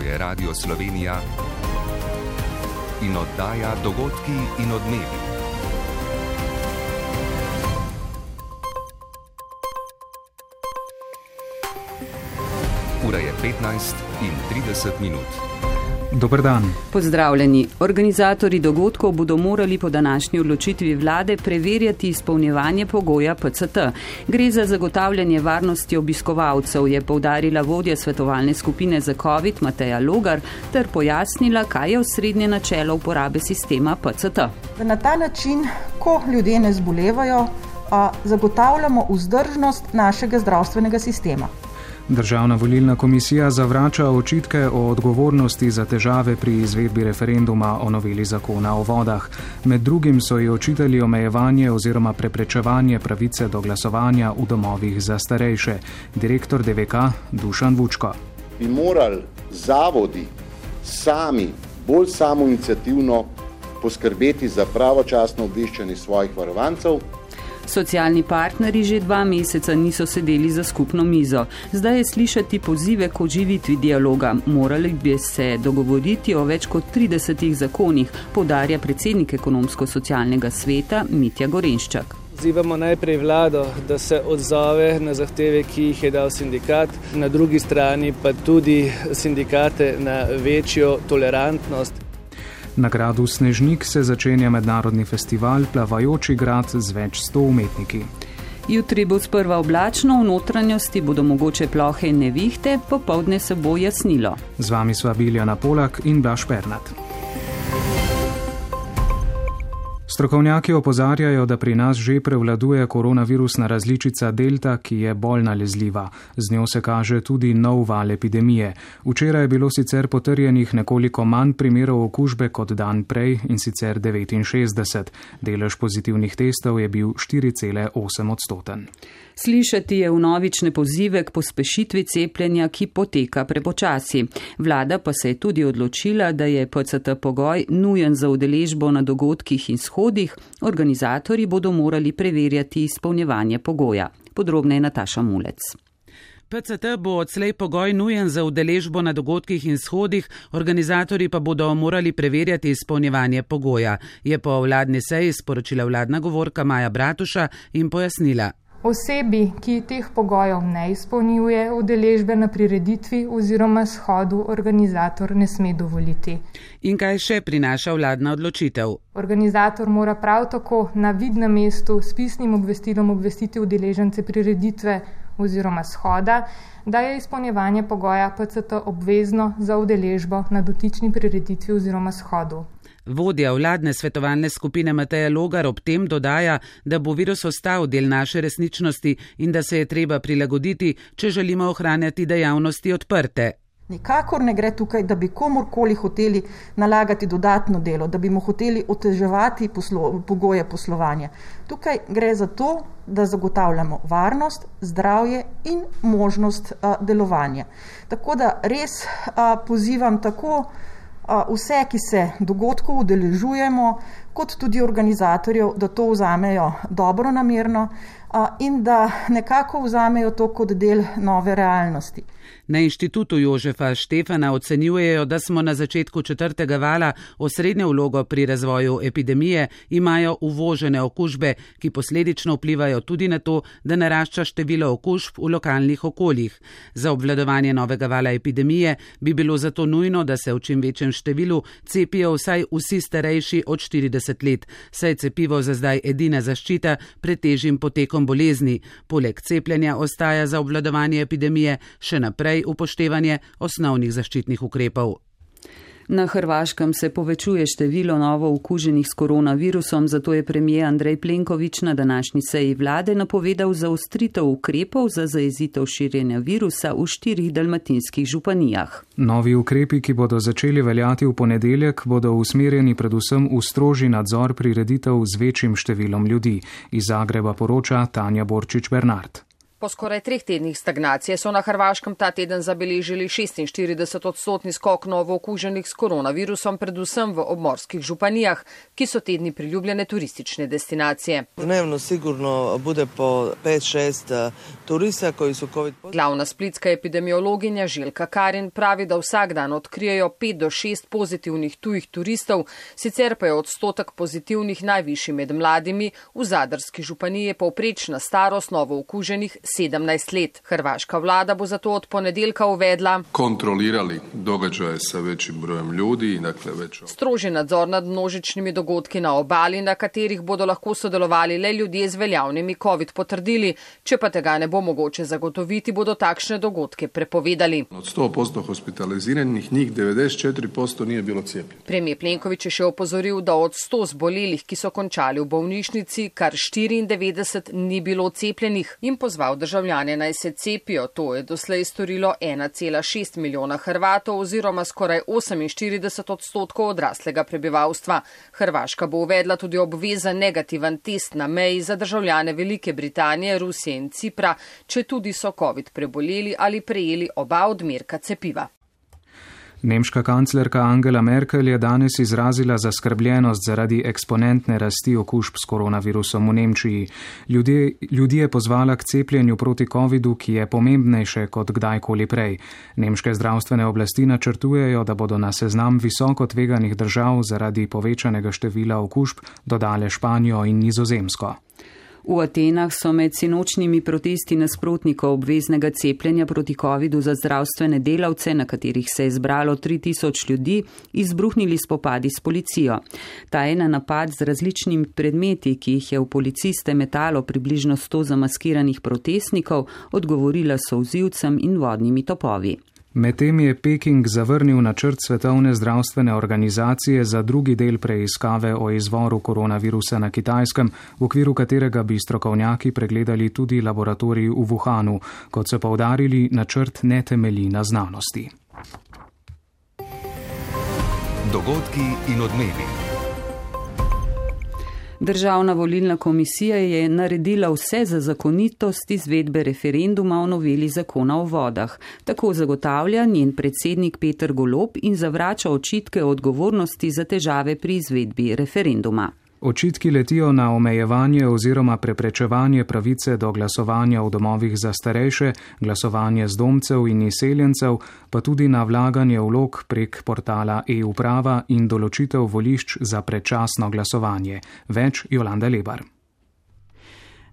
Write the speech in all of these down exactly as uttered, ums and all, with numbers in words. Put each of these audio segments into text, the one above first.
je Radio Slovenija in oddaja Dogodki in odmevi. Ura je petnajst in trideset minut. Dober dan. Pozdravljeni. Organizatorji dogodkov bodo morali po današnji odločitvi vlade preverjati izpolnjevanje pogoja P C T. Gre za zagotavljanje varnosti obiskovalcev, je poudarila vodja svetovalne skupine za COVID Mateja Logar ter pojasnila, kaj je osrednje načelo uporabe sistema P C T. Na ta način, ko ljudje ne zbolevajo, zagotavljamo vzdržnost našega zdravstvenega sistema. Državna volilna komisija zavrača očitke o odgovornosti za težave pri izvedbi referenduma o noveli zakona o vodah. Med drugim so ji očitali omejevanje oziroma preprečevanje pravice do glasovanja v domovih za starejše. Direktor D V K Dušan Vučko. Bi morali zavodi sami, bolj samoiniciativno poskrbeti za pravočasno obveščanje svojih varovancev. Socialni partnerji že dva meseca niso sedeli za skupno mizo. Zdaj je slišati pozive k oživitvi dialoga. Morali bi se dogovoriti o več kot tridesetih zakonih, poudarja predsednik ekonomsko-socialnega sveta Mitja Gorenščak. Pozivamo najprej vlado, da se odzove na zahteve, ki jih je dal sindikat, na drugi strani pa tudi sindikate na večjo tolerantnost. Na gradu Snežnik se začenja mednarodni festival Plavajoči grad z več sto umetniki. Jutri bo sprva oblačno, v notranjosti bodo mogoče plohe in nevihte, popoldne se bo jasnilo. Z vami sva Biljana Polak in Blaž Pernat. Strokovnjaki opozarjajo, da pri nas že prevladuje koronavirusna različica Delta, ki je bolj nalezljiva. Z njo se kaže tudi nov val epidemije. Včeraj je bilo sicer potrjenih nekoliko manj primerov okužbe kot dan prej, in sicer devetinšestdeset. Delež pozitivnih testov je bil štiri cele osem odstoten. Slišati je vnovične pozive k pospešitvi cepljenja, ki poteka prepočasi. Vlada pa se je tudi odločila, da je P C T pogoj nujen za udeležbo na dogodkih in shodih. Organizatorji bodo morali preverjati izpolnjevanje pogoja. Podrobneje Nataša Mulec. P C T bo odslej pogoj nujen za udeležbo na dogodkih in shodih, organizatorji pa bodo morali preverjati izpolnjevanje pogoja, je po vladni seji sporočila vladna govorka Maja Bratuša in pojasnila. Osebi, ki teh pogojev ne izpolnjuje, udeležbe na prireditvi oziroma shodu organizator ne sme dovoliti. In kaj še prinaša vladna odločitev? Organizator mora prav tako na vidnem mestu s pisnim obvestilom obvestiti udeležence prireditve oziroma shoda, da je izpolnjevanje pogoja P C T obvezno za udeležbo na dotični prireditvi oziroma shodu. Vodja vladne svetovalne skupine Mateja Logar ob tem dodaja, da bo virus ostal del naše resničnosti in da se je treba prilagoditi, če želimo ohranjati dejavnosti odprte. Nikakor ne gre tukaj, da bi komorkoli hoteli nalagati dodatno delo, da bi mu hoteli oteževati poslo, pogoje poslovanja. Tukaj gre za to, da zagotavljamo varnost, zdravje in možnost a, delovanja. Tako da res a, pozivam tako vse, ki se dogodkov udeležujemo, kot tudi organizatorjev, da to vzamejo dobro namerno in da nekako vzamejo to kot del nove realnosti. Na inštitutu Jožefa Štefana ocenjujejo, da smo na začetku četrtega vala osrednjo vlogo pri razvoju epidemije, imajo uvožene okužbe, ki posledično vplivajo tudi na to, da narašča število okužb v lokalnih okoljih. Za obvladovanje novega vala epidemije bi bilo zato nujno, da se v čim večjem številu cepijo vsaj vsi starejši od štirideset let, saj cepivo za zdaj edina zaščita pred težjim potekom bolezni. Poleg cepljenja ostaja za obvladovanje epidemije še naprej upoštevanje osnovnih zaščitnih ukrepov. Na Hrvaškem se povečuje število novo okuženih s koronavirusom, zato je premijer Andrej Plenković na današnji seji vlade napovedal zaostritev ukrepov za zajezitev širjenja virusa v štirih dalmatinskih županijah. Novi ukrepi, ki bodo začeli veljati v ponedeljek, bodo usmerjeni predvsem v strožji nadzor prireditev z večjim številom ljudi. Iz Zagreba poroča Tanja Borčič Bernard. Po skoraj treh tednih stagnacije so na Hrvaškem ta teden zabeležili šestinštirideset odstotni skok novo okuženih s koronavirusom, predvsem v obmorskih županijah, ki so tedni priljubljene turistične destinacije. Dnevno sigurno bude po pet šest turista koji su covid. Glavna splitska epidemiologinja Željka Karin pravi, da vsak dan odkrijejo pet do šest pozitivnih tujih turistov, sicer pa je odstotek pozitivnih najvišji med mladimi. V Zadarski županiji je povprečna starost novo okuženih sedemnajst let. Hrvaška vlada bo zato od ponedeljka uvedla kontrolirali događaje sa većim brojem ljudi, dakle več. Strožji nadzor nad množičnimi dogodki na obali, na katerih bodo lahko sodelovali le ljudje z veljavnimi covid potrdili. Če pa tega ne bo mogoče zagotoviti, bodo takšne dogodke prepovedali. Od sto posto hospitaliziranih njih devedeset četiri posto nije bilo cepljeno. Premijer Plenković je še opozoril, da od sto zbolelih, ki so končali v bolnišnici, kar štiriindevetdeset ni bilo cepljenih in pozval državljane naj se cepijo. To je doslej storilo ena cela šest milijona Hrvatov oziroma skoraj oseminštirideset odstotkov odraslega prebivalstva. Hrvaška bo uvedla tudi obvezen negativen test na meji za državljane Velike Britanije, Rusije in Cipra, če tudi so covid preboleli ali prejeli oba odmerka cepiva. Nemška kanclerka Angela Merkel je danes izrazila zaskrbljenost zaradi eksponentne rasti okužb s koronavirusom v Nemčiji. Ljudje, ljudi je pozvala k cepljenju proti covidu, ki je pomembnejše kot kdajkoli prej. Nemške zdravstvene oblasti načrtujejo, da bodo na seznam visoko tveganih držav zaradi povečanega števila okužb dodale Španijo in Nizozemsko. V Atenah so med sinočnjimi protesti nasprotnikov obveznega cepljenja proti covidu za zdravstvene delavce, na katerih se je zbralo tri tisoč ljudi, izbruhnili spopadi s policijo. Ta je na napad z različnimi predmeti, ki jih je v policiste metalo približno sto zamaskiranih protestnikov, odgovorila solzivcem in vodnimi topovi. Medtem je Peking zavrnil načrt Svetovne zdravstvene organizacije za drugi del preiskave o izvoru koronavirusa na Kitajskem, v okviru katerega bi strokovnjaki pregledali tudi laboratorij v Wuhanu. Kot so poudarili, načrt ne temelji na znanosti. Dogodki in odmevi. Državna volilna komisija je naredila vse za zakonitost izvedbe referenduma o noveli zakona o vodah. Tako zagotavlja njen predsednik Peter Golob in zavrača očitke o odgovornosti za težave pri izvedbi referenduma. Očitki letijo na omejevanje oziroma preprečevanje pravice do glasovanja v domovih za starejše, glasovanje zdomcev in izseljencev, pa tudi na vlaganje vlog prek portala e-uprava in določitev volišč za predčasno glasovanje. Več Jolanda Lebar.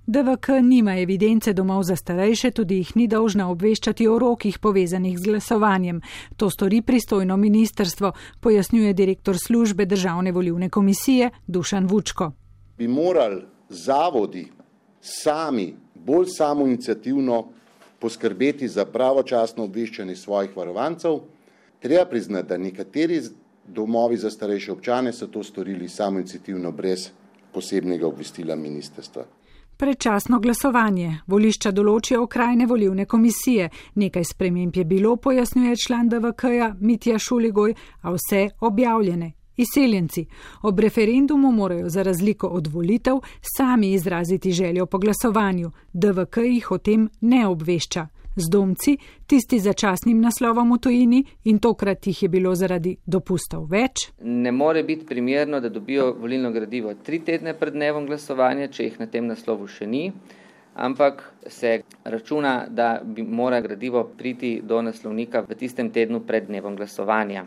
D V K nima evidence domov za starejše, tudi jih ni dolžna obveščati o rokih povezanih z glasovanjem. To stori pristojno ministrstvo, pojasnjuje direktor službe Državne volilne komisije Dušan Vučko. Bi morali zavodi sami, bolj samoiniciativno poskrbeti za pravočasno obveščanje svojih varovancev. Treba priznati, da nekateri domovi za starejše občane so to storili samoiniciativno brez posebnega obvestila ministrstva. Predčasno glasovanje. Volišča določijo okrajne volilne komisije. Nekaj sprememb je bilo, pojasnjuje član D V K-ja Mitja Šuligoj, a vse objavljene. Izseljenci. Ob referendumu morajo za razliko od volitev sami izraziti željo po glasovanju. D V K jih o tem ne obvešča. Zdomci, tisti za časnim naslovom v tujini, in tokrat jih je bilo zaradi dopustov več. Ne more biti primerno, da dobijo volilno gradivo tri tedne pred dnevom glasovanja, če jih na tem naslovu še ni, ampak se računa, da bi mora gradivo priti do naslovnika v tistem tednu pred dnevom glasovanja.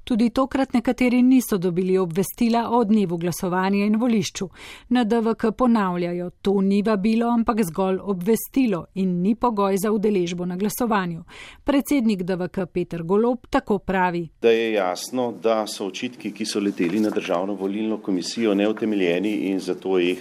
Tudi tokrat nekateri niso dobili obvestila o dnevu glasovanja in volišču. Na D V K ponavljajo, to ni vabilo, ampak zgolj obvestilo in ni pogoj za udeležbo na glasovanju. Predsednik D V K Peter Golob tako pravi. Da je jasno, da so očitki, ki so leteli na Državno volilno komisijo, neutemeljeni in zato jih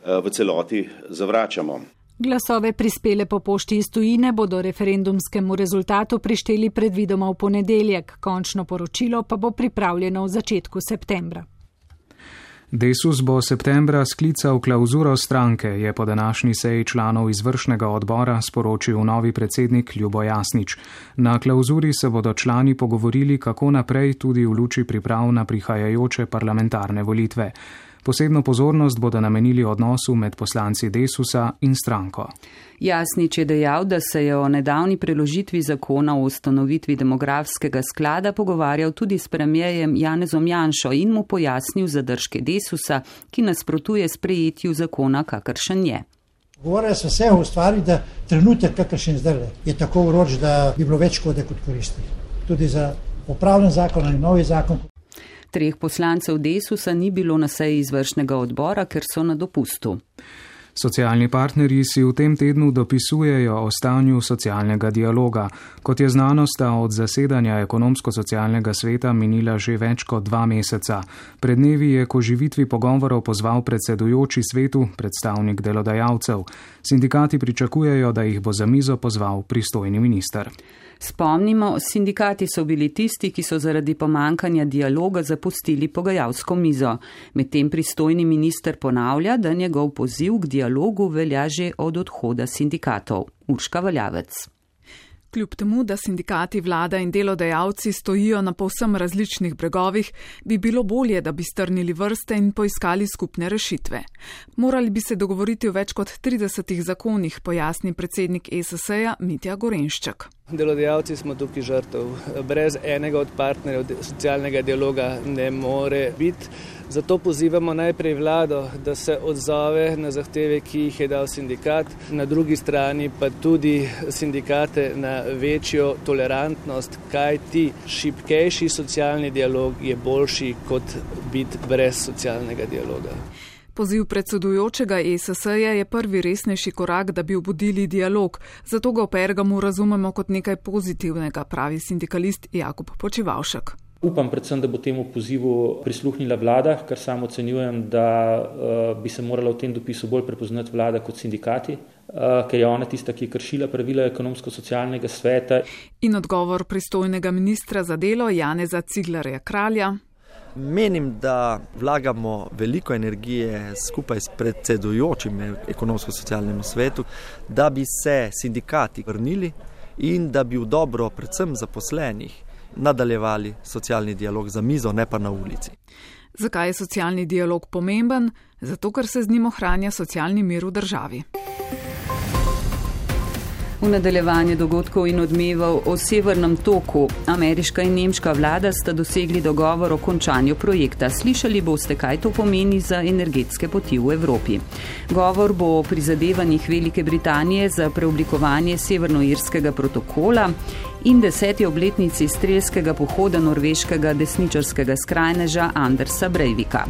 v celoti zavračamo. Glasove prispele po pošti iz tujine bodo referendumskemu rezultatu prišteli predvidoma v ponedeljek, končno poročilo pa bo pripravljeno v začetku septembra. Desus bo septembra sklical klauzuro stranke, je po današnji seji članov izvršnega odbora sporočil novi predsednik Ljubo Jasnič. Na klauzuri se bodo člani pogovorili, kako naprej, tudi v luči priprav na prihajajoče parlamentarne volitve. Posebno pozornost bodo namenili odnosu med poslanci Desusa in stranko. Jasnič je dejal, da se je o nedavni preložitvi zakona o ustanovitvi demografskega sklada pogovarjal tudi s premierjem Janezom Janšo in mu pojasnil zadržke Desusa, ki nasprotuje sprejetju zakona, kakršen je. Govorili so se o stvari, da trenutek, kakršen zdaj je tako vroč, da bi bilo več škode kot koristi. Tudi za popravljen zakon ali novi zakon. Treh poslancev Desusa ni bilo na seji izvršnega odbora, ker so na dopustu. Socialni partnerji si v tem tednu dopisujejo o stanju socialnega dialoga. Kot je znano, sta od zasedanja ekonomsko-socialnega sveta minila že več kot dva meseca. Pred dnevi je k oživitvi pogovorov pozval predsedujoči svetu, predstavnik delodajalcev. Sindikati pričakujejo, da jih bo za mizo pozval pristojni minister. Spomnimo, sindikati so bili tisti, ki so zaradi pomankanja dialoga zapustili pogajalsko mizo. Medtem pristojni minister ponavlja, da njegov poziv k dialogu velja že od odhoda sindikatov. Urška Valjavec. Kljub temu, da sindikati, vlada in delodajalci stojijo na povsem različnih bregovih, bi bilo bolje, da bi strnili vrste in poiskali skupne rešitve. Morali bi se dogovoriti o več kot tridesetih zakonih, pojasni predsednik E S S-ja Mitja Gorenšček. Delodajalci smo tukaj žrtev. Brez enega od partnerjev socialnega dialoga ne more biti. Zato pozivamo najprej vlado, da se odzove na zahteve, ki jih je dal sindikat, na drugi strani pa tudi sindikate na večjo tolerantnost, kajti šibkejši socialni dialog je boljši kot biti brez socialnega dialoga. Poziv predsedujočega E S S-ja je prvi resnejši korak, da bi obudili dialog, zato ga v Pergamu razumemo kot nekaj pozitivnega, pravi sindikalist Jakub Počivavšek. Upam predvsem, da bo temu pozivu prisluhnila vlada, kar sam ocenjujem, da uh, bi se morala v tem dopisu bolj prepoznati vlada kot sindikati, uh, ker je ona tista, ki je kršila pravila ekonomsko-socialnega sveta. In odgovor pristojnega ministra za delo Janeza Ciglerja Kralja. Menim, da vlagamo veliko energije skupaj s predsedujočim ekonomsko-socialnemu svetu, da bi se sindikati vrnili in da bi v dobro predvsem zaposlenih nadaljevali socialni dialog za mizo, ne pa na ulici. Zakaj je socialni dialog pomemben? Zato, ker se z njim ohranja socialni mir v državi. V nadaljevanje dogodkov in odmevov o Severnem toku ameriška in nemška vlada sta dosegli dogovor o končanju projekta. Slišali boste, kaj to pomeni za energetske poti v Evropi. Govor bo o prizadevanjih Velike Britanije za preoblikovanje severnoirskega protokola in deseti obletnici strelskega pohoda norveškega desničarskega skrajneža Andersa Breivika.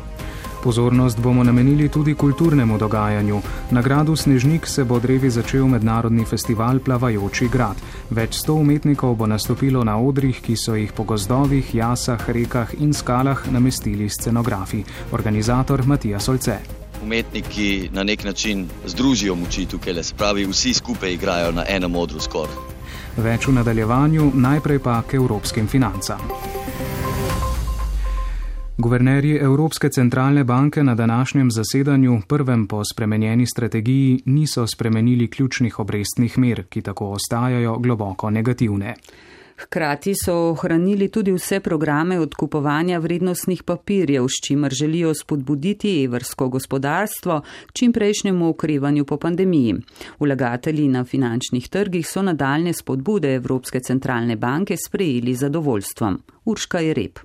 Pozornost bomo namenili tudi kulturnemu dogajanju. Na gradu Snežnik se bo drevi začel mednarodni festival Plavajoči grad. Več sto umetnikov bo nastopilo na odrih, ki so jih po gozdovih, jasah, rekah in skalah namestili scenografi. Organizator Matija Solce. Umetniki na nek način združijo moči tukaj, se pravi, vsi skupaj igrajo na enem odru skoraj. Več v nadaljevanju, najprej pa k evropskim financam. Guvernerji Evropske centralne banke na današnjem zasedanju, prvem po spremenjeni strategiji, niso spremenili ključnih obrestnih mer, ki tako ostajajo globoko negativne. Hkrati so ohranili tudi vse programe odkupovanja vrednostnih papirjev, s čimer želijo spodbuditi evrsko gospodarstvo k čimprejšnjemu okrevanju po pandemiji. Vlagatelji na finančnih trgih so nadaljne spodbude Evropske centralne banke sprejeli z zadovoljstvom. Urška Jereb.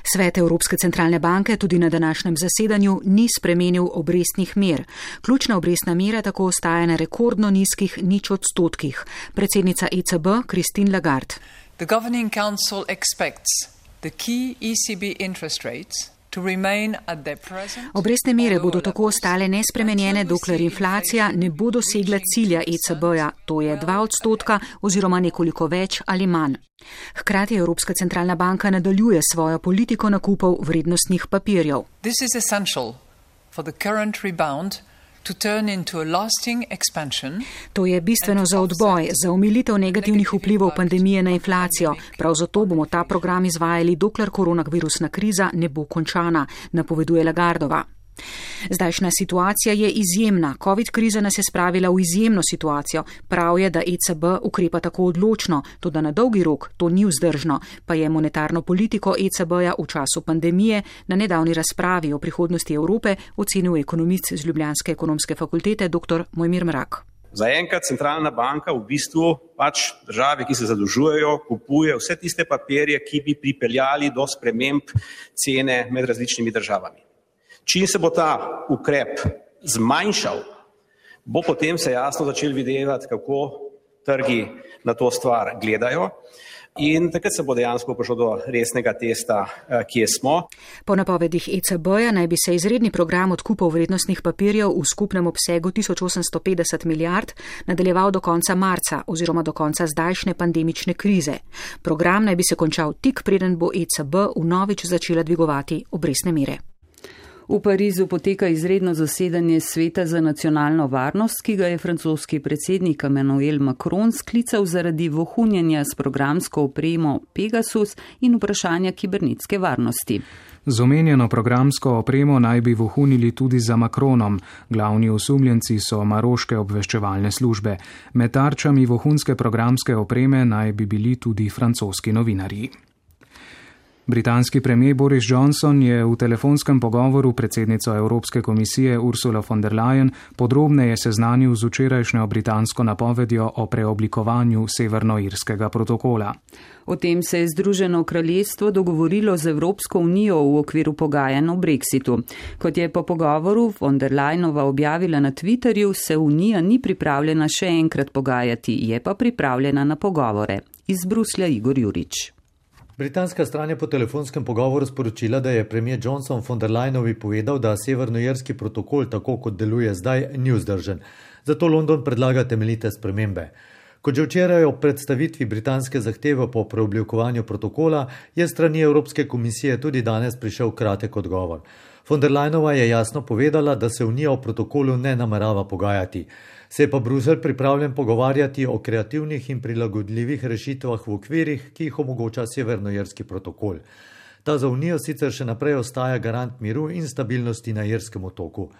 Svet Evropske centralne banke tudi na današnjem zasedanju ni spremenil obrestnih mer. Ključna obrestna mera tako ostaja na rekordno nizkih nič odstotkih. Predsednica E C B Christine Lagarde. The Governing Council expects the key E C B interest rates Obrestne mere bodo tako ostale nespremenjene, dokler inflacija ne bo dosegla cilja E C B-ja, to je dva odstotka oziroma nekoliko več ali manj. Hkrati Evropska centralna banka nadaljuje svojo politiko nakupov vrednostnih papirjev. This is essential for the current rebound to turn into a lasting expansion. To je bistveno za odboj, za omilitev negativnih vplivov pandemije na inflacijo. Prav zato bomo ta program izvajali, dokler koronavirusna kriza ne bo končana, napoveduje Lagardova. Zdajšnja situacija je izjemna. Covid kriza nas je spravila v izjemno situacijo. Prav je, da E C B ukrepa tako odločno, tudi na dolgi rok to ni vzdržno, pa je monetarno politiko E C B-ja v času pandemije na nedavni razpravi o prihodnosti Evrope ocenil ekonomist z Ljubljanske ekonomske fakultete dr. Mojmir Mrak. Zaenkrat centralna banka v bistvu pač države, ki se zadolžujejo, kupuje vse tiste papirje, ki bi pripeljali do sprememb cene med različnimi državami. Čim se bo ta ukrep zmanjšal, bo potem se jasno začel videti, kako trgi na to stvar gledajo in takrat se bo dejansko prišlo do resnega testa, kje smo. Po napovedih E C B-ja naj bi se izredni program odkupov vrednostnih papirjev v skupnem obsegu tisoč osemsto petdeset milijard nadaljeval do konca marca oziroma do konca zdajšnje pandemične krize. Program naj bi se končal tik preden bo E C B vnovič začela dvigovati obrestne mere. V Parizu poteka izredno zasedanje Sveta za nacionalno varnost, ki ga je francoski predsednik Emmanuel Macron sklical zaradi vohunjenja s programsko opremo Pegasus in vprašanja kibernetske varnosti. Z omenjeno programsko opremo naj bi vohunili tudi za Macronom. Glavni osumljenci so maroške obveščevalne službe. Med tarčami vohunske programske opreme naj bi bili tudi francoski novinarji. Britanski premijer Boris Johnson je v telefonskem pogovoru predsednico Evropske komisije Ursula von der Leyen podrobneje seznanil z včerajšnjo britansko napovedjo o preoblikovanju severnoirskega protokola. O tem se je Združeno kraljestvo dogovorilo z Evropsko unijo v okviru pogajanj o Brexitu. Kot je po pogovoru von der Leyenova objavila na Twitterju, se unija ni pripravljena še enkrat pogajati, je pa pripravljena na pogovore. Iz Bruslja Igor Jurič. Britanska stran je po telefonskem pogovoru sporočila, da je premijer Johnson von der Leyenovi povedal, da severnoirski protokol, tako kot deluje zdaj, ni vzdržen. Zato London predlaga temeljite spremembe. Kot že včeraj ob predstavitvi britanske zahteve po preoblikovanju protokola, je strani Evropske komisije tudi danes prišel kratek odgovor. Von der Leyenova je jasno povedala, da se unija o protokolu ne namerava pogajati. Se je pa Bruselj pripravljen pogovarjati o kreativnih in prilagodljivih rešitvah v okvirih, ki jih omogoča severnoirski protokol. Ta za unijo sicer še naprej ostaja garant miru in stabilnosti na irskem otoku.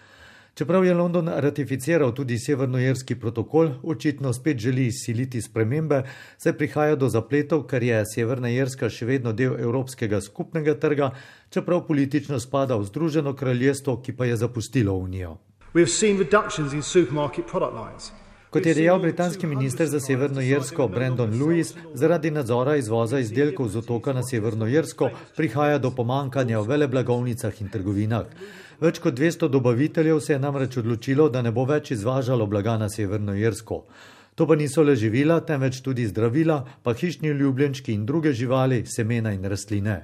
Čeprav je London ratificiral tudi severnoirski protokol, očitno spet želi izsiliti spremembe, saj prihaja do zapletov, ker je Severna Irska še vedno del evropskega skupnega trga, čeprav politično spada v Združeno kraljestvo, ki pa je zapustilo unijo. Kot je dejal britanski minister za Severno Irsko Brandon Lewis, zaradi nadzora izvoza izdelkov z otoka na Severno Irsko prihaja do pomankanja v veleblagovnicah in trgovinah. Več kot dvesto dobaviteljev se je namreč odločilo, da ne bo več izvažalo blaga na Severno Irsko. To pa niso le živila, temveč tudi zdravila, pa hišni ljubljenčki in druge živali, semena in rastline.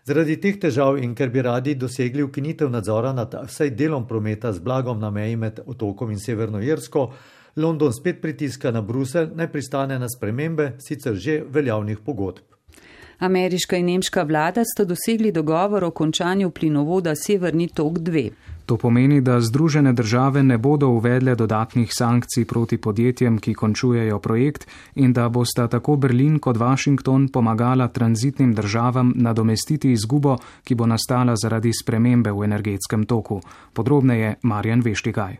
Zaradi teh težav in ker bi radi dosegli ukinitev nadzora nad vsaj delom prometa z blagom na meji med otokom in Severno Irsko, London spet pritiska na Bruselj, naj pristane na spremembe sicer že veljavnih pogodb. Ameriška in nemška vlada sta dosegli dogovor o končanju plinovoda Severni tok dva. To pomeni, da Združene države ne bodo uvedle dodatnih sankcij proti podjetjem, ki končujejo projekt, in da bosta tako Berlin kot Washington pomagala tranzitnim državam nadomestiti izgubo, ki bo nastala zaradi spremembe v energetskem toku. Podrobneje Marjan Veštikaj.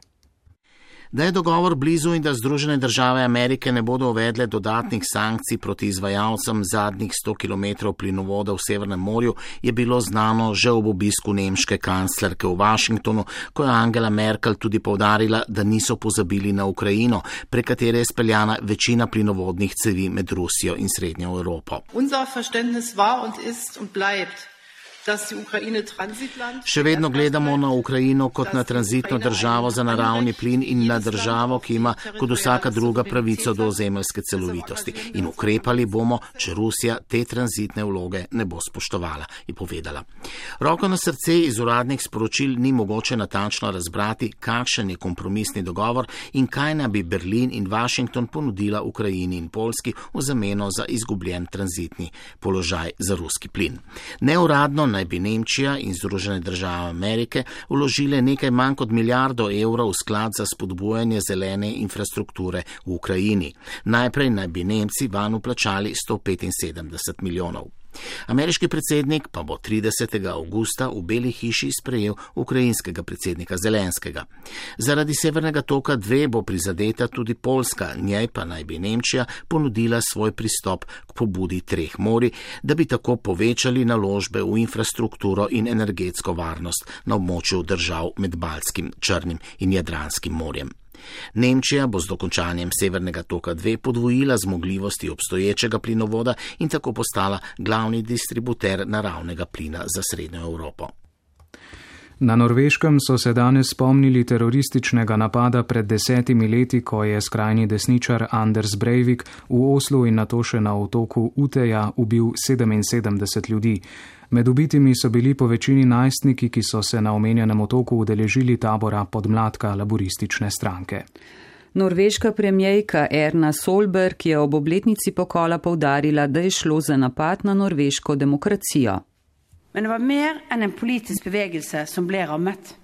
Da je dogovor blizu in da Združene države Amerike ne bodo uvedle dodatnih sankcij proti izvajalcem zadnjih sto kilometrov plinovoda v Severnem morju, je bilo znano že ob obisku nemške kanclerke v Washingtonu, ko je Angela Merkel tudi poudarila, da niso pozabili na Ukrajino, prek katere je speljana večina plinovodnih cevi med Rusijo in Srednjo Evropo. Unser Verständnis war und ist und bleibt. Še vedno gledamo na Ukrajino kot na tranzitno državo za naravni plin in na državo, ki ima kot vsaka druga pravico do ozemeljske celovitosti. In ukrepali bomo, če Rusija te tranzitne vloge ne bo spoštovala, je povedala. Roko na srce, iz uradnih sporočil ni mogoče natančno razbrati, kakšen je kompromisni dogovor in kaj naj bi Berlin in Washington ponudila Ukrajini in Poljski v zameno za izgubljen tranzitni položaj za ruski plin. Neuradno naj bi Nemčija in Združene države Amerike vložile nekaj manj kot milijardo evrov v sklad za spodbujanje zelene infrastrukture v Ukrajini. Najprej naj bi Nemci vanj vplačali sto petinsedemdeset milijonov. Ameriški predsednik pa bo tridesetega avgusta v Beli hiši sprejel ukrajinskega predsednika Zelenskega. Zaradi Severnega toka dve bo prizadeta tudi Poljska, njej pa naj bi Nemčija ponudila svoj pristop k pobudi treh morij, da bi tako povečali naložbe v infrastrukturo in energetsko varnost na območju držav med Baltskim, Črnim in Jadranskim morjem. Nemčija bo z dokončanjem Severnega toka dve podvojila zmogljivosti obstoječega plinovoda in tako postala glavni distributer naravnega plina za Srednjo Evropo. Na Norveškem so se danes spomnili terorističnega napada pred desetimi leti, ko je skrajni desničar Anders Breivik v Oslu in nato še na otoku Uteja ubil sedeminsedemdeset ljudi. Med ubitimi so bili po večini najstniki, ki so se na omenjenem otoku udeležili tabora podmladka laboristične stranke. Norveška premijejka Erna Solberg je ob obletnici pokola poudarila, da je šlo za napad na norveško demokracijo.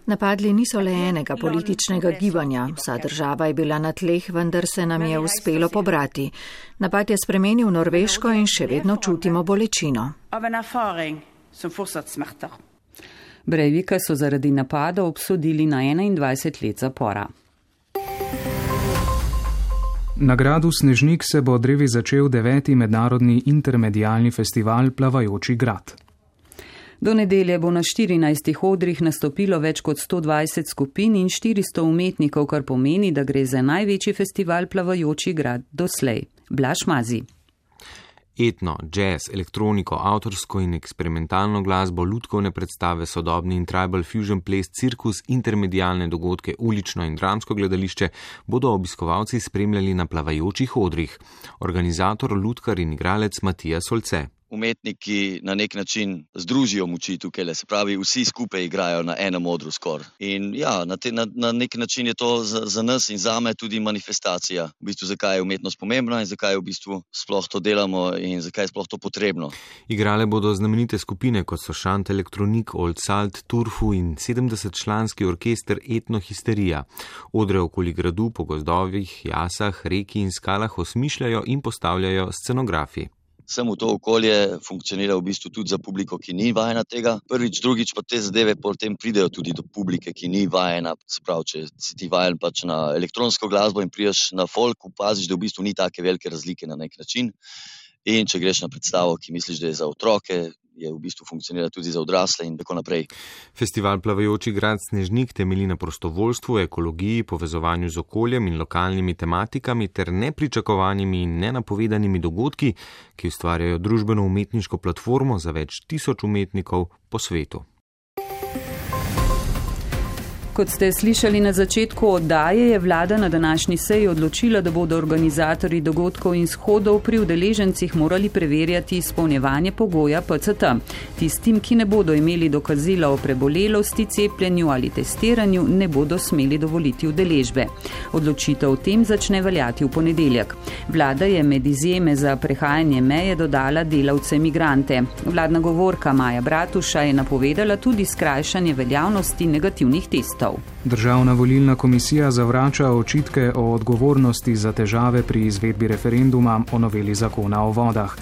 Napadli niso le enega političnega gibanja, vsa država je bila na tleh, vendar se nam je uspelo pobrati. Napad je spremenil Norveško in še vedno čutimo bolečino. Breivika so zaradi napada obsodili na enaindvajset let zapora. Na gradu Snežnik se bo drevi začel deveti mednarodni intermedialni festival Plavajoči grad. Do nedelje bo na štirinajstih odrih nastopilo več kot sto dvajset skupin in štiristo umetnikov, kar pomeni, da gre za največji festival Plavajoči grad doslej. Blaž Mazi. Etno, jazz, elektroniko, avtorsko in eksperimentalno glasbo, lutkovne predstave, sodobni in tribal fusion ples, cirkus, intermedialne dogodke, ulično in dramsko gledališče bodo obiskovalci spremljali na plavajočih odrih. Organizator, lutkar in igralec Matija Solce. Umetniki na nek način združijo moči tukaj, se pravi, vsi skupaj igrajo na enem odru skoraj. In ja, na, te, na, na nek način je to za, za nas in zame tudi manifestacija, v bistvu zakaj je umetnost pomembna in zakaj v bistvu sploh to delamo in zakaj je sploh to potrebno. Igrale bodo znamenite skupine, kot so Šant Elektronik, Old Salt, Turfu in sedemdesetčlanski orkester Etno Histerija. Odre okoli gradu po gozdovih, jasah, reki in skalah osmišljajo in postavljajo scenografi. Sem v to okolje funkcionira v bistvu tudi za publiko, ki ni vajena tega. Prvič, drugič pa te zadeve potem pridejo tudi do publike, ki ni vajena. Se pravi, če si ti vajen pač na elektronsko glasbo in priješ na folk, opaziš, da v bistvu ni take velike razlike na nek način. In če greš na predstavo, ki misliš, da je za otroke, je v bistvu funkcionira tudi za odrasle in tako naprej. Festival Plavajoči grad Snežnik temelji na prostovoljstvu, ekologiji, povezovanju z okoljem in lokalnimi tematikami ter nepričakovanimi in nenapovedanimi dogodki, ki ustvarjajo družbeno-umetniško platformo za več tisoč umetnikov po svetu. Kot ste slišali na začetku oddaje, je vlada na današnji seji odločila, da bodo organizatorji dogodkov in shodov pri udeležencih morali preverjati izpolnjevanje pogoja P C T. Tistim, ki ne bodo imeli dokazila o prebolelosti, cepljenju ali testiranju, ne bodo smeli dovoliti udeležbe. Odločitev o tem začne veljati v ponedeljek. Vlada je med izjeme za prehajanje meje dodala delavce migrante. Vladna govorka Maja Bratuša je napovedala tudi skrajšanje veljavnosti negativnih testov. Državna volilna komisija zavrača očitke o odgovornosti za težave pri izvedbi referenduma o noveli zakona o vodah.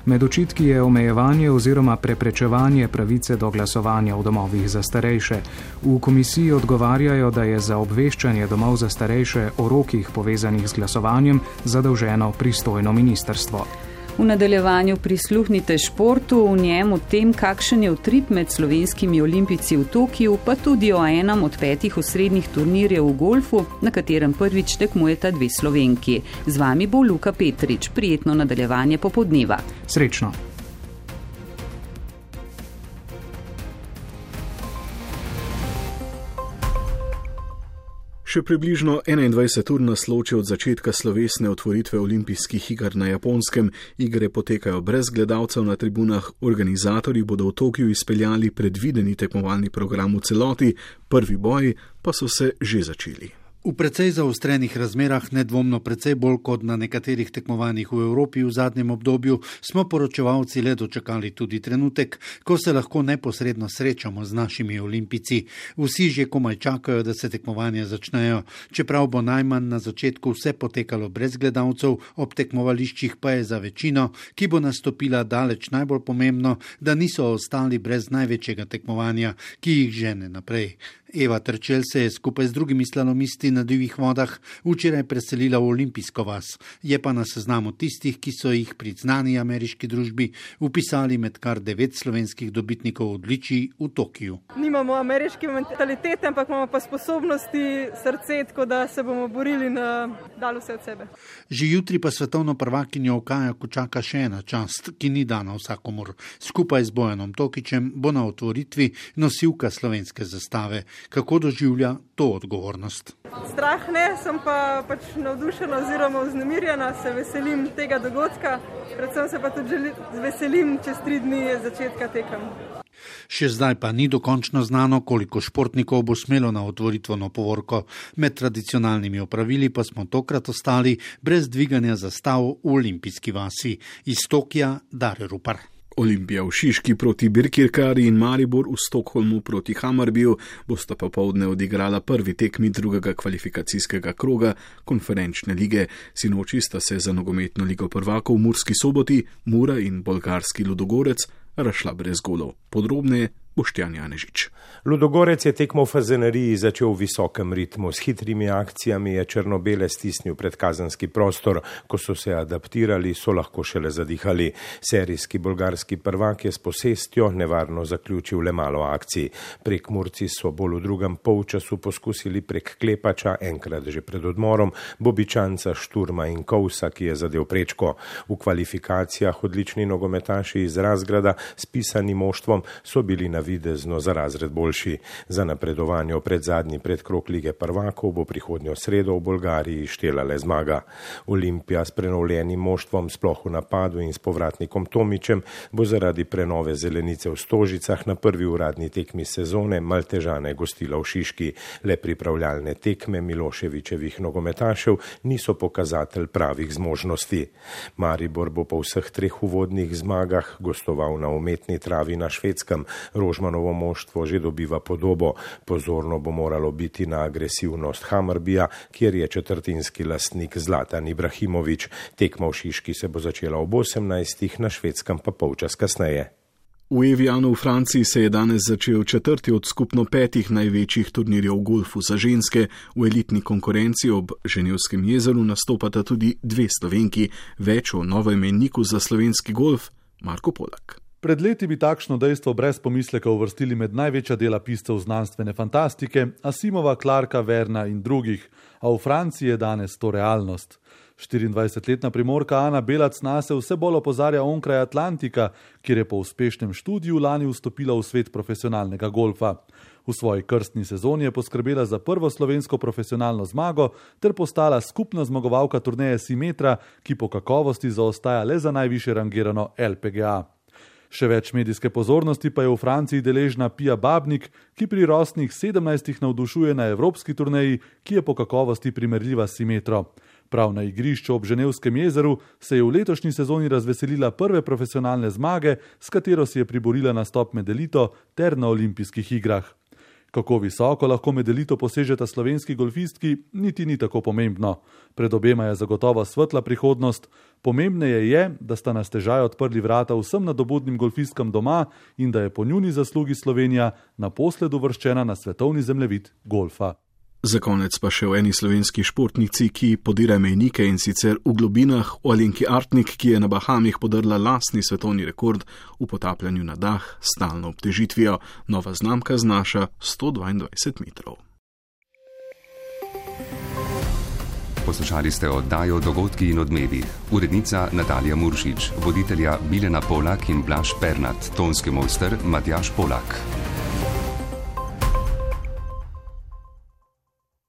Med očitki je omejevanje oziroma preprečevanje pravice do glasovanja v domovih za starejše. V komisiji odgovarjajo, da je za obveščanje domov za starejše o rokih povezanih z glasovanjem zadolženo pristojno ministrstvo. V nadaljevanju prisluhnite športu, v njem o tem, kakšen je utrip med slovenskimi olimpijci v Tokiju, pa tudi o enem od petih osrednjih turnirjev v golfu, na katerem prvič tekmujeta dve Slovenki. Z vami bo Luka Petrič. Prijetno nadaljevanje popoldneva. Srečno. Še približno enaindvajset ur nas loči od začetka slovesne otvoritve olimpijskih iger na Japonskem. Igre potekajo brez gledalcev na tribunah, organizatorji bodo v Tokiju izpeljali predvideni tekmovalni program v celoti, prvi boji pa so se že začeli. V precej zaostrenih razmerah, nedvomno precej bolj kot na nekaterih tekmovanjih v Evropi v zadnjem obdobju, smo poročevalci le dočakali tudi trenutek, ko se lahko neposredno srečamo z našimi olimpijci. Vsi že komaj čakajo, da se tekmovanja začnejo, čeprav bo najmanj na začetku vse potekalo brez gledalcev, ob tekmovališčih pa je za večino, ki bo nastopila daleč najbolj pomembno, da niso ostali brez največjega tekmovanja, ki jih žene naprej. Eva Terčelj se je skupaj z drugimi slalomisti na divjih vodah včeraj preselila v olimpijsko vas, je pa na seznamu tistih, ki so jih pri znani ameriški družbi upisali med kar devet slovenskih dobitnikov odličij v Tokiu. Nimamo ameriške mentalitete, ampak imamo pa sposobnosti, srce, tako da se bomo borili na dalo vse od sebe. Že jutri pa svetovno prvakinjo v kajaku čaka še ena čast, ki ni dana vsakomur. Skupaj z Bojanom Tokičem bo na otvoritvi nosilka slovenske zastave. Kako doživlja to odgovornost? Strah ne, sem pa pač navdušena oziroma vznemirjena, se veselim tega dogodka, predvsem se pa tudi veselim čez tri dni začetka tekem. Še zdaj pa ni dokončno znano, koliko športnikov bo smelo na otvoritveno povorko. Med tradicionalnimi opravili pa smo tokrat ostali brez dviganja zastav v olimpijski vasi. Iz Tokija Dare Rupar. Olimpija v Šiški proti Birkirkari in Maribor v Stokholmu proti Hammarbyju bosta popoldne odigrala prvi tekmi drugega kvalifikacijskega kroga konferenčne lige. Sinoči sta se za nogometno ligo prvakov v Murski Soboti Mura in bolgarski Ludogorec razšla brez golov. Podrobneje Boštjan Janežič. Ludogorec je tekmo v Fazaneriji začel v visokem ritmu. S hitrimi akcijami je črno-bele stisnil pred kazenski prostor. Ko so se adaptirali, so lahko šele zadihali. Serijski bolgarski prvak je s posestjo nevarno zaključil le malo akcij. Prek Murci so bolj v drugem polčasu poskusili prek Klepača, enkrat že pred odmorom, Bobičanca, Šturma in Kovsa, ki je zadel prečko. V kvalifikacijah odlični nogometaši iz Razgrada s pisanim moštvom so bili na videzno za razred boljši. Za napredovanje v predzadnji predkrog lige prvakov bo prihodnjo sredo v Bolgariji štela le zmaga. Olimpija s prenovljenim moštvom, sploh v napadu in s povratnikom Tomičem, bo zaradi prenove zelenice v Stožicah na prvi uradni tekmi sezone Maltežane gostila v Šiški. Le pripravljalne tekme Miloševičevih nogometašev niso pokazatelj pravih zmožnosti. Maribor bo po vseh treh uvodnih zmagah gostoval na umetni travi na Švedskem. Rožmanovo moštvo že dobiva podobo. Pozorno bo moralo biti na agresivnost Hammarbyja, kjer je četrtinski lastnik Zlatan Ibrahimović. Tekma v Šiški se bo začela ob osemnajstih, na Švedskem pa polčas kasneje. V Evianu v Franciji se je danes začel četrti od skupno petih največjih turnirjev v golfu za ženske. V elitni konkurenci ob Ženevskem jezeru nastopata tudi dve Slovenki. Več o novoimenniku za slovenski golf Marko Polak. Pred leti bi takšno dejstvo brez pomisleka uvrstili med največja dela piscev znanstvene fantastike, Asimova, Clarka, Verna in drugih, a v Franciji je danes to realnost. štiriindvajsetletna Primorka Ana Belac nase vse bolj opozarja onkraj Atlantika, kjer je po uspešnem študiju lani vstopila v svet profesionalnega golfa. V svoji krstni sezoni je poskrbela za prvo slovensko profesionalno zmago ter postala skupna zmagovalka turneje Simetra, ki po kakovosti zaostaja le za najvišje rangirano L P G A. Še več medijske pozornosti pa je v Franciji deležna Pia Babnik, ki pri rosnih sedemnajstih navdušuje na evropski turneji, ki je po kakovosti primerljiva s Simetro. Prav na igrišču ob Ženevskem jezeru se je v letošnji sezoni razveselila prve profesionalne zmage, s katero si je priborila nastop med elito ter na olimpijskih igrah. Kako visoko lahko med elito posežeta slovenski golfistki, niti ni tako pomembno. Pred obema je zagotovo svetla prihodnost. Pomembneje je, da sta na stežaj odprli vrata vsem nadobudnim golfistkam doma in da je po njuni zaslugi Slovenija naposled uvrščena na svetovni zemljevid golfa. Za konec pa še o eni slovenski športnici, ki podira mejnike, in sicer v globinah, o Alenki Artnik, ki je na Bahamih podrla lastni svetovni rekord v potapljanju na dah s stalno obtežitvijo. Nova znamka znaša sto dvaindvajset metrov. Poslušali ste oddajo Dogodki in odmevi. Urednica Natalija Muršič, voditelja Bilena Polak in Blaž Pernat, tonski mojster Matjaž Polak.